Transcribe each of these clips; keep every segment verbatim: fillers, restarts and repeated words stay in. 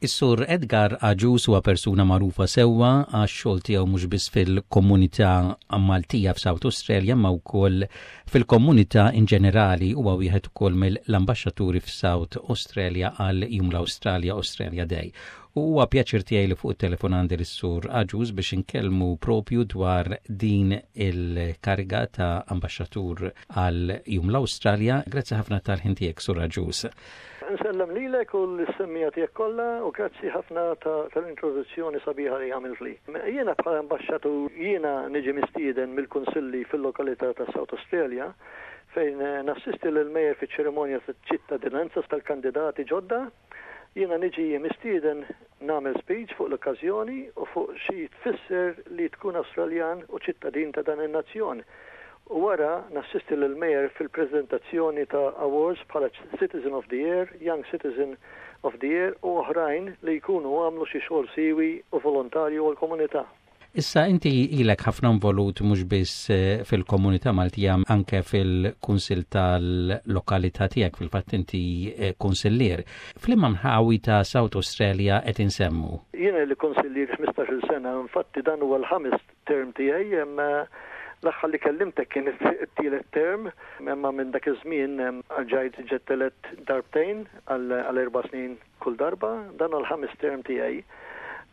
Is-Sur Edgar Agius huwa persuna magħrufa sewwa għax-xogħol tiegħu mhux biss fil-komunità Maltija f'South Australia, ma wkoll fil-komunità in ġenerali. Huwa wieħed ukoll mill-ambaxxaturi f'South Australia għal Jum l-Awstralja, Australia Day. U huwa pjaċir tiegħi li fuq it-telefon għandi lis-Sur Agius biex inkellmu propju dwar din il-kariga ta' ambaxxatur għal Jum l-Awstralja. Grazzi ħafna tal-ħin tiegħek, Sur Agius. Nsellem lilek u l-semmiegħa tiegħek kollha u grazzi ħafna tal-introduzzjoni sabiħa li għamiltli. Jiena bħala ambaxxatur, jiena niġi mistieden mill-kunsilli fil-lokalità ta' South Australia fejn nassisti l-mayor fi ċerimonja ta' ċittadinanza tal-kandidati ġodda. Jiena niġi mistieden nagħmel speech fuq l-okkażjoni u fuq xi tfisser li tkun Awstraljan u ċittadin ta' dan in-nazzjon u wara nassisti l-mayor fil-prezentazzjoni ta' awards bħala Citizen of the Year, Young Citizen of the Year u oħrajn li jkunu għamlu xi xogħol siwi u volontarju għal komunità. Issa, inti ilek ħafna involut mhux biss eh, fil-komunità Maltija, anke fil-kunsil tal-lokalità tiegħek, fil-fatt inti eh, kunsillier. F'liema nħawi ta' South Australia qed insemmu? Jiena ili kunsillier ħmistax-il sena, infatti dan huwa l-ħames term tiegħi. L-aħħar li kellimtek kien it-tielet term, imma minn dak iż-żmien ġajt ġejt elett darbtejn għal erba' snin kull darba, dan l-ħames term tiegħi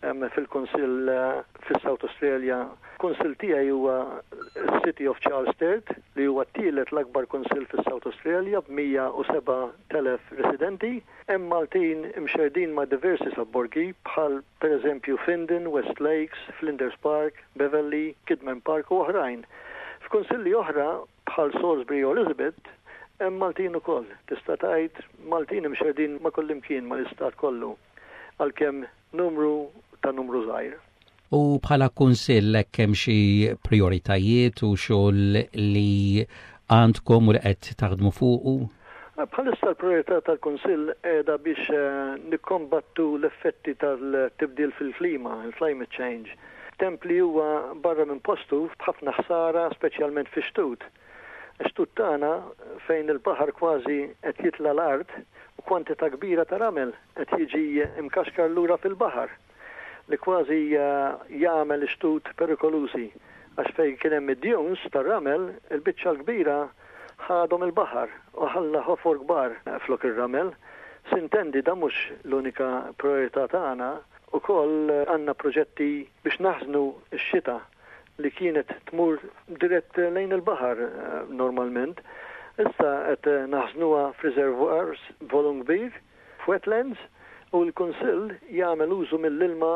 fil-Kunsill eh, fis-South Australia. Kunsill tiegħi huwa City of Charles Sturt, li huwa t-tielet l-akbar kunsill fis-South Australia b'mija u seba' elef residenti. Hemm Maltin imxerdin ma' diversi sobborgi bħal pereżempju Findon, West Lakes, Flinders Park, Beverley, Kidman Park u oħrajn. F'kunsilli oħra bħal Salisbury u Elizabeth hemm Maltin ukoll. Tista' tgħid Maltin imxerdin ma' kullimkien mal-istat kollu, għalkemm numru ta' numru żgħir. U bħala kunsill, hemm xi prioritajiet u xogħol li għandkom u li qed taħdmu fuqu? Bħalissa l-priorità tal-Kunsill qiegħda biex eh, nikkombattu l-effetti tal-tibdil fil-klima, il-climate change. Temp li huwa barra minn postu b'ħafna ħsara, speċjalment fi xtut. Xtut tagħna fejn il-baħar kważi qed jitla l-art u kwantità kbira ta' ramel qed jiġi imkaxkar lura fil-baħar, li kważi eh, jagħmel xtut perikolużi, għax fejn kien hemm id-dunes tar-ramel, il-biċċa l-kbira ħadhom il-baħar u ħalla ħofor kbar flok ir-ramel. Sintendi, da mhux l-unika priorità tagħna, ukoll għandna proġetti biex naħżnu x-xita li kienet tmur dirett lejn il-baħar eh, normalment. Issa qed naħżnuha f'reservoirs volum kbir, f'wetlands, u l-Kunsill jagħmel użu mill-ilma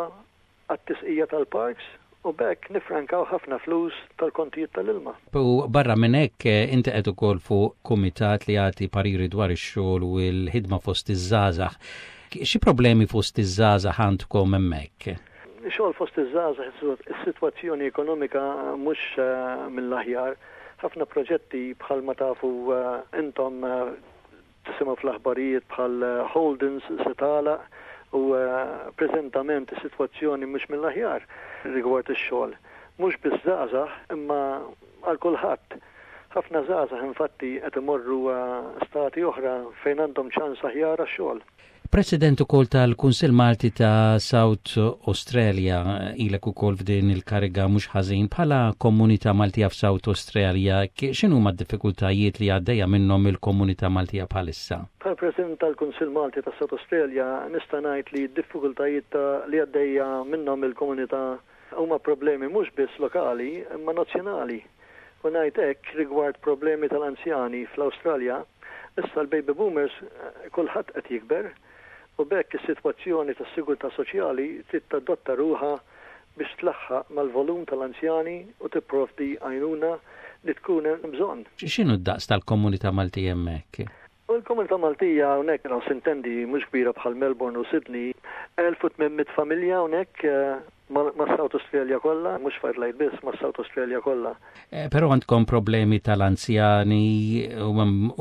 għat-tisqija tal-parks u b'hekk nifrankaw ħafna flus tal-kontijiet tal-ilma. U barra minn hekk, eh, inti qed ukoll fuq kumitat li jagħti pariri dwar ix-xogħol u l-ħidma fost iż-żgħażagħ. Xi problemi fost iż-żgħażagħ għandkom hemmhekk? Xogħol fost iż-żgħażagħ, is-sitwazzjoni ekonomika mhux eh, mill-aħjar. Ħafna proġetti, bħalma tafu eh, intom, tisimgħu fl-aħbarijiet, bħal Holdens se tagħlaq u preżentament is-sitwazzjoni mhux mill-aħjar rigward ix-xogħol. Mhux biss żgħażagħ, imma għal kulħadd. Ħafna żgħażagħ infatti qed imorru stati oħra fejn għandhom ċans aħjar għax-xogħol. President ukoll tal-Kunsill Malti ta' South Australia, ilek ukoll f'din il-kariga mhux ħażin. Bħala komunità Maltija f'South Australia, x'inhu d-diffikultajiet li għaddejja minnhom il-komunità Maltija bħalissa? Bħala President tal-Kunsill Malti ta' South Australia nista' ngħid li d-diffikultajiet li għaddejja minnhom il-komunità huma problemi mhux biss lokali imma nazzjonali. U ngħid hekk rigward problemi tal-anzjani fl-Awstralja, issa l-baby boomers, eh, kulħadd qed jikber u b'hekk is-sitwazzjoni tas-sigurtà soċjali trid tadotta ruħha biex tlaħħaq mal-volum tal-anzjani u tipprovdi għajnuna li tkun hemm bżonn. X'inhu d-daqs tal-komunità Maltija hemmhekk? U l-komunità Maltija hawnhekk, sintendi, mhux kbira bħal Melbourne u Sydney, elf u tmien mitt familja hawnhekk eh, ma' South Australia kollha, mhux f'Adelaide biss, ma' South Australia kollha. Eh, però għandkom problemi tal-anzjani u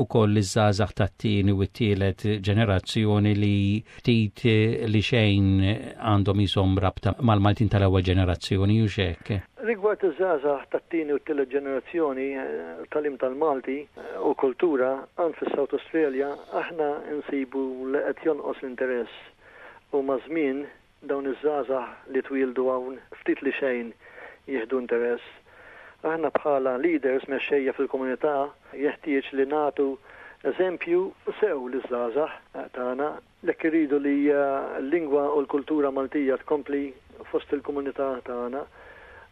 ukoll iż-żgħażagħ tat-tieni u t-tielet ġenerazzjoni li ftit li xejn għandhom jisom rabta mal-Maltin tal-ewwel ġenerazzjoni u xek. Rigward iż-żgħażagħ tat-tieni u t-tielet ġenerazzjoni, eh, tagħlim tal-Malti eh, u kultura għand fis-South Australia aħna nsibu li qed jonqos l-interess U maż-żmien dawn iż-żgħażagħ li twildu hawn ftit li xejn jieħdu interess. Aħna bħala leaders, mexxejja fil-komunità, jeħtieġ li nagħtu eżempju sew liż-żgħażagħ tagħna jekk iridu li eh, l-lingwa u l-kultura Maltija tkompli fost il-komunità tagħna.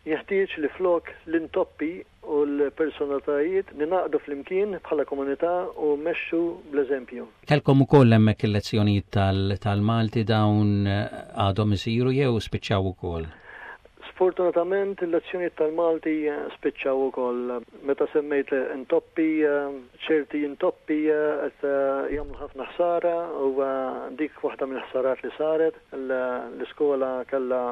Jeħtieġ li flok l-intoppi u l-personalitajiet ninaqdu flimkien bħala komunità u mmexxu bl-eżempju. Kellkom ukoll hemmhekk il-lezzjonijiet tal-Malti, dawn eh, għadhom isiru jew spiċċaw ukoll? Sfortunatament il-lezzjonijiet tal-Malti eh, spiċċaw ukoll. Meta semmejt intoppi, eh, ċerti intoppi qed jagħmlu ħafna ħsara u dik waħda mill-ħsarat li saret, l-iskola kellha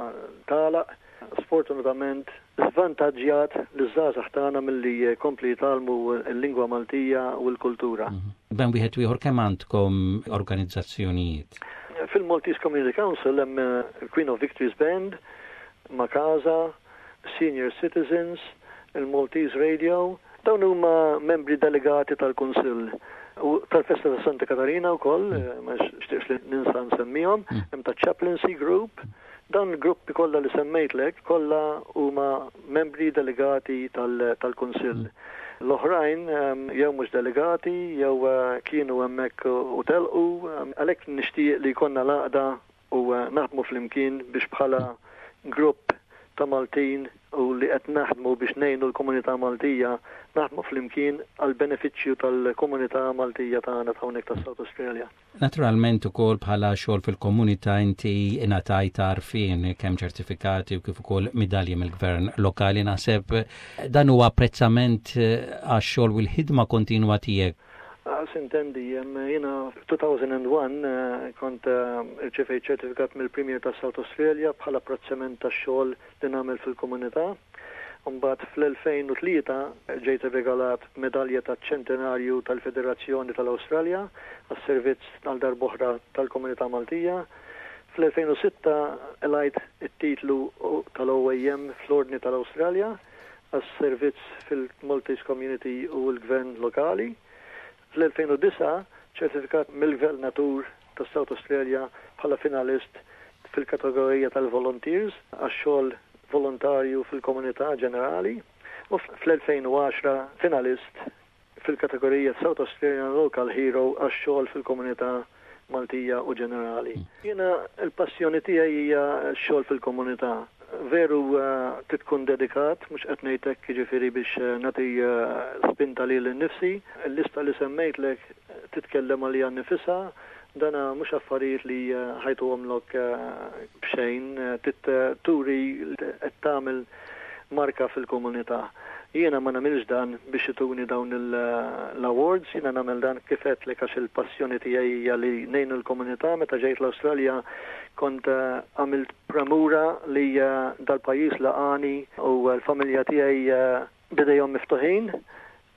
tagħlaq, sfortunatament żvantaġġjat l-żgħażagħ tagħna milli jkomplu jitgħallmu l-lingwa Maltija u l-kultura. Mhm. Bejn wieħed u ieħor kemm għandkom organizzazzjonijiet? Fil-Maltese Community Council hemm il-Queen of Victories Band, Makasa, Senior Citizens, il-Maltese Radio, dawn huma membri delegati tal-Kunsill u tal-Festa ta' Santa Katarina wkoll, mm. ma nixtieqx li ninsa nsemmihom, mm. hemm ta' Chaplaincy Group. Dawn il-gruppi kollha li semmejtlek kollha huma membri delegati tal-Kunsill. Mm. L-oħrajn jew mhux delegati jew eh, kienu hemmhekk u telqu, għalhekk nixtieq li jkollna l-għaqda u eh, naħdmu flimkien biex bħala grupp ta' Maltin u li qed naħdmu biex ngħinu l-komunità Maltija, naħdmu flimkien għal benefiċċju tal-komunità Maltija tagħna ta' hawnhekk ta' South Australia. Naturalment ukoll bħala xogħol fil-komunità inti ingħatajt għarfien, kemm ċertifikati u kif ukoll midalji mill-gvern lokali. Naħseb dan huwa apprezzament għax-xogħol u l-ħidma kontinwa tiegħek. Sintendi, jiena elfejn u wieħed eh, kont eh, irċevejt ċertifikat mill-Premier ta' South Australia bħala apprezzament ta' xogħol li nagħmel fil-komunità. Mbagħad fl-elfejn u tlieta ġejt irregalat medalja ta' ċentenarju tal-Federazzjoni tal-Awstralja għas-servizz għal darb'oħra tal-komunità Maltija. Fl-elfejn u sitta qlajt it-titlu tal-O A M fl-Ordni tal-Awstralja għas-servizz fil-Maltese Community u l-Gvern lokali. Fl-elfejn u disgħa ċertifikat mill-Gvernatur ta' South Australia bħala finalist fil-kategorija tal-Volunteers għax-xogħol volontarju fil-komunità ġenerali u fl-elfejn u għaxra finalist fil-kategorija South Australian Local Hero għax-xogħol fil-komunità Maltija u ġenerali. Jiena il-passjoni tiegħi hija x-xogħol fil-komunità. Veru uh, tkun dedikat, mhux qed ngħidlek jiġifieri biex uh, nagħti uh, spinta lili nnifsi. Il-lista li semmejtlek titkellem għalija nnifisha, dana mhux affarijiet li ħa jtuhomlok b'xejn, turi qed tagħmel marka fil-komunità. Jiena ma nagħmilx dan biex ituni dawn l-awards, jiena nagħmel dan kif għedtlek għax il-passjoni tiegħi hija li ngħinu l-komunità. Meta ġejt l-Awstralja kont eh, għamilt premura li eh, dal-pajjiż laqagħni u l-familja tiegħi eh, b'idejhom miftuħin,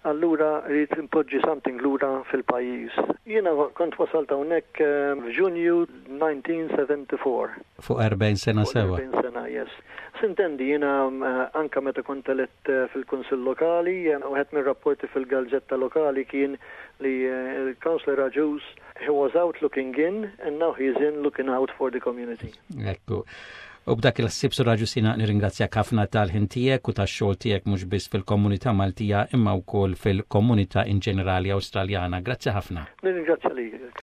allura rrid impoġġi something lura fil-pajjiż. Jiena kont wasalt hawnhekk f'Ġunju elf disa' mija u erbgħa u sebgħin. Fuq erbgħin sena sewa. erbgħin sena, yes. Sintendi, jiena anka meta kont elett fil-Kunsill Lokali, wieħed mir-rapporti fil-gazzetta lokali kien li il-Councillor Agius, he was out looking in and now he is in looking out for the community. Ekku. U b'dak il-ħsieb, Sur Agius, jiena nirringrazzjak ħafna tal-ħin tiegħek u tax-xogħol tiegħek mhux biss fil-komunità Maltija imma wkoll fil-komunità in ġenerali Awstraljana. Grazzi ħafna. Nirringrazzja lilek.